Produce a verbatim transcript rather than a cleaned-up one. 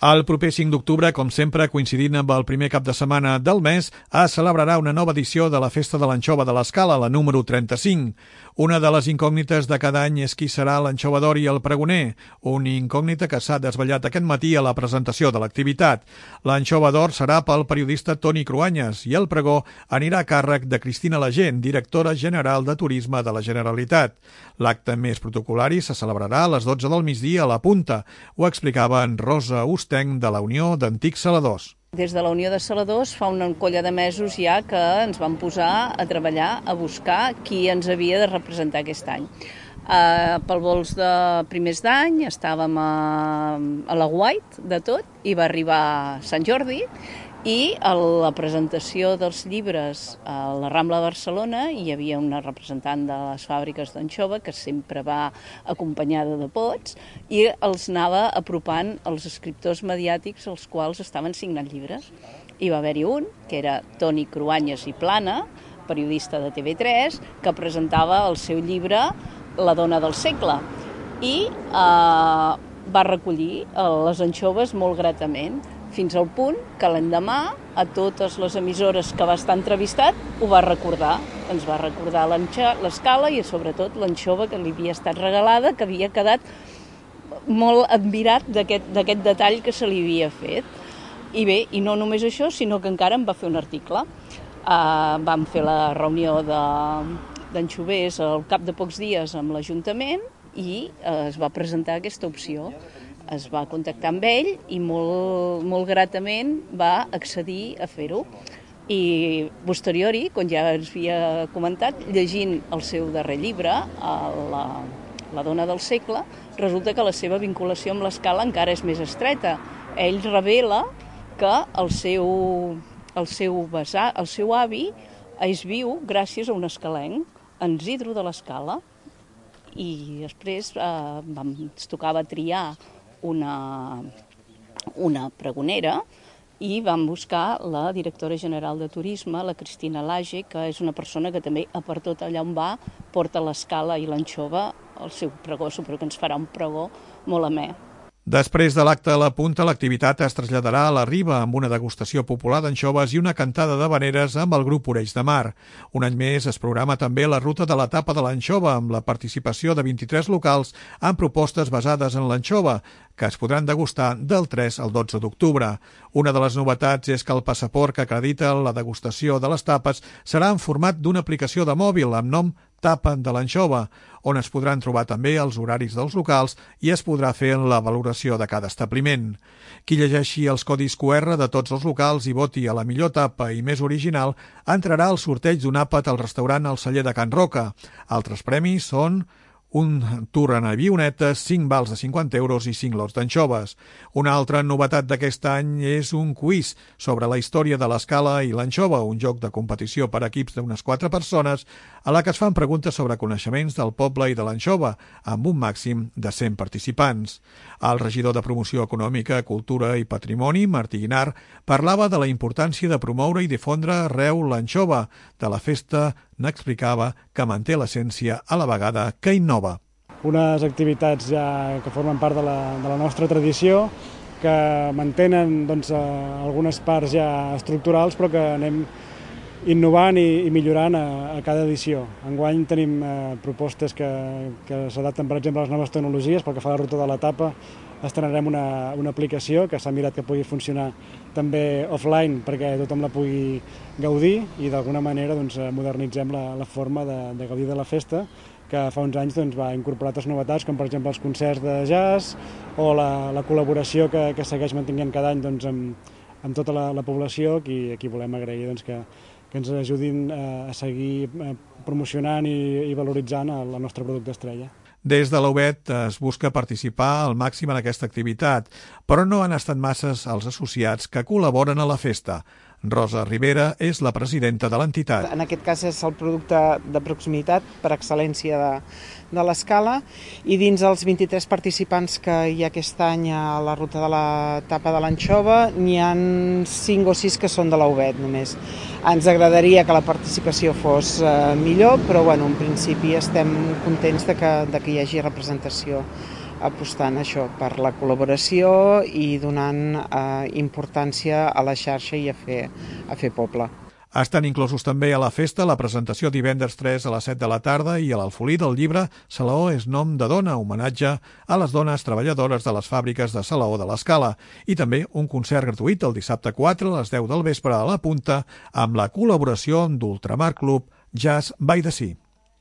El proper cinc d'octubre, com sempre, coincidint amb el primer cap de setmana del mes, es celebrarà una nova edició de la Festa de l'Anxova de l'Escala, la número trenta-cinc. Una de les incògnites de cada any és qui serà l'anxova d'or i el pregoner, una incògnita que s'ha desvetllat aquest matí a la presentació de l'activitat. L'anxova d'or serà pel periodista Toni Cruanyes i el pregó anirà a càrrec de Cristina Lagent, directora general de Turisme de la Generalitat. L'acte més protocolari se celebrarà a les dotze del migdia a la Punta. Ho explicava en Rosa Ustenc de la Unió d'Antics Saladors. Des de la Unió de Saladors fa una colla de mesos ja que ens vam posar a treballar, a buscar qui ens havia de representar aquest any. Uh, pel vols de primers d'any estàvem a, a la White de tot i va arribar Sant Jordi i a la presentació dels llibres a la Rambla de Barcelona hi havia una representant de les fàbriques d'anxova que sempre va acompanyada de pots i els anava apropant als escriptors mediàtics els quals estaven signant llibres. Hi va haver-hi un, que era Toni Cruanyes i Plana, periodista de T V tres, que presentava el seu llibre La dona del segle i eh, va recollir les anxoves molt gratament, fins al punt que l'endemà a totes les emissores que va estar entrevistat ho va recordar. Ens va recordar l'escala i sobretot l'anxova que li havia estat regalada, que havia quedat molt admirat d'aquest detall que se li havia fet. I bé, i no només això, sinó que encara em va fer un article. Uh, vam fer la reunió d'anxovers al cap de pocs dies amb l'Ajuntament i uh, es va presentar aquesta opció. Es va contactar amb ell i molt, molt gratament va accedir a fer-ho. I posteriori, com ja ens havia comentat, llegint el seu darrer llibre, la, la dona del segle, resulta que la seva vinculació amb l'escala encara és més estreta. Ell revela que el seu, el seu, besar, el seu avi és viu gràcies a un escalenc, en Isidro de l'Escala, i després eh, vam, ens tocava triar Una, una pregonera i vam buscar la directora general de Turisme, la Cristina Lagent, que és una persona que també, a per tot allà on va, porta l'escala i l'anxova al seu pregó, suposo que ens farà un pregó molt amè. Després de l'acte a la Punta, l'activitat es traslladarà a la Riba amb una degustació popular d'anxoves i una cantada d'havaneres amb el grup Orells de Mar. Un any més es programa també la ruta de la tapa de l'anxova amb la participació de vint-i-tres locals amb propostes basades en l'anxova, que es podran degustar del tres al dotze d'octubre. Una de les novetats és que el passaport que acredita la degustació de les tapes serà en format d'una aplicació de mòbil amb nom Tapa de l'Anxova, on es podran trobar també els horaris dels locals i es podrà fer la valoració de cada establiment. Qui llegeixi els codis Q R de tots els locals i voti a la millor tapa i més original entrarà al sorteig d'un àpat al restaurant El Celler de Can Roca. Altres premis són un tour en avionetes, cinc vals de cinquanta euros i cinc lots d'anxoves. Una altra novetat d'aquest any és un quiz sobre la història de l'escala i l'anxova, un joc de competició per equips d'unes quatre persones a la que es fan preguntes sobre coneixements del poble i de l'anxova, amb un màxim de cent participants. El regidor de Promoció Econòmica, Cultura i Patrimoni, Martí Guinar, parlava de la importància de promoure i difondre arreu l'anxova de la festa. N'explicava que manté l'essència a la vegada que innova. Unes activitats ja que formen part de la, de la nostra tradició, que mantenen doncs, algunes parts ja estructurals, però que anem innovant i, i millorant a, a cada edició. Enguany tenim eh, propostes que, que s'adapten, per exemple, a les noves tecnologies. Pel que fa a la ruta de l'etapa, estrenarem una, una aplicació que s'ha mirat que pugui funcionar també offline perquè tothom la pugui gaudir i d'alguna manera doncs, modernitzem la, la forma de, de gaudir de la festa, que fa uns anys doncs, va incorporar altres novetats, com per exemple els concerts de jazz o la, la col·laboració que, que segueix mantenint cada any doncs, amb, amb tota la, la població, qui, qui volem agrair doncs, que, que ens ajudin a seguir promocionant i, i valoritzant el, el nostre producte estrella. Des de l'U B E T es busca participar al màxim en aquesta activitat, però no han estat masses els associats que col·laboren a la festa. Rosa Rivera és la presidenta de l'entitat. En aquest cas és el producte de proximitat per excel·lència de, de l'escala i dins els vint-i-tres participants que hi ha aquest any a la ruta de la tapa de l'anxova n'hi ha cinc o sis que són de la U B E T només. Ens agradaria que la participació fos eh, millor, però bueno, en principi estem contents de que, de que hi hagi representació apostant això per la col·laboració i donant eh, importància a la xarxa i a fer, a fer poble. Estan inclosos també a la festa la presentació divendres tres a les set de la tarda i a l'Alfolí del llibre Salaó és nom de dona, homenatge a les dones treballadores de les fàbriques de Salaó de l'Escala, i també un concert gratuït el dissabte quatre a les deu del vespre a la Punta amb la col·laboració d'Ultramar Club Jazz by the Sea.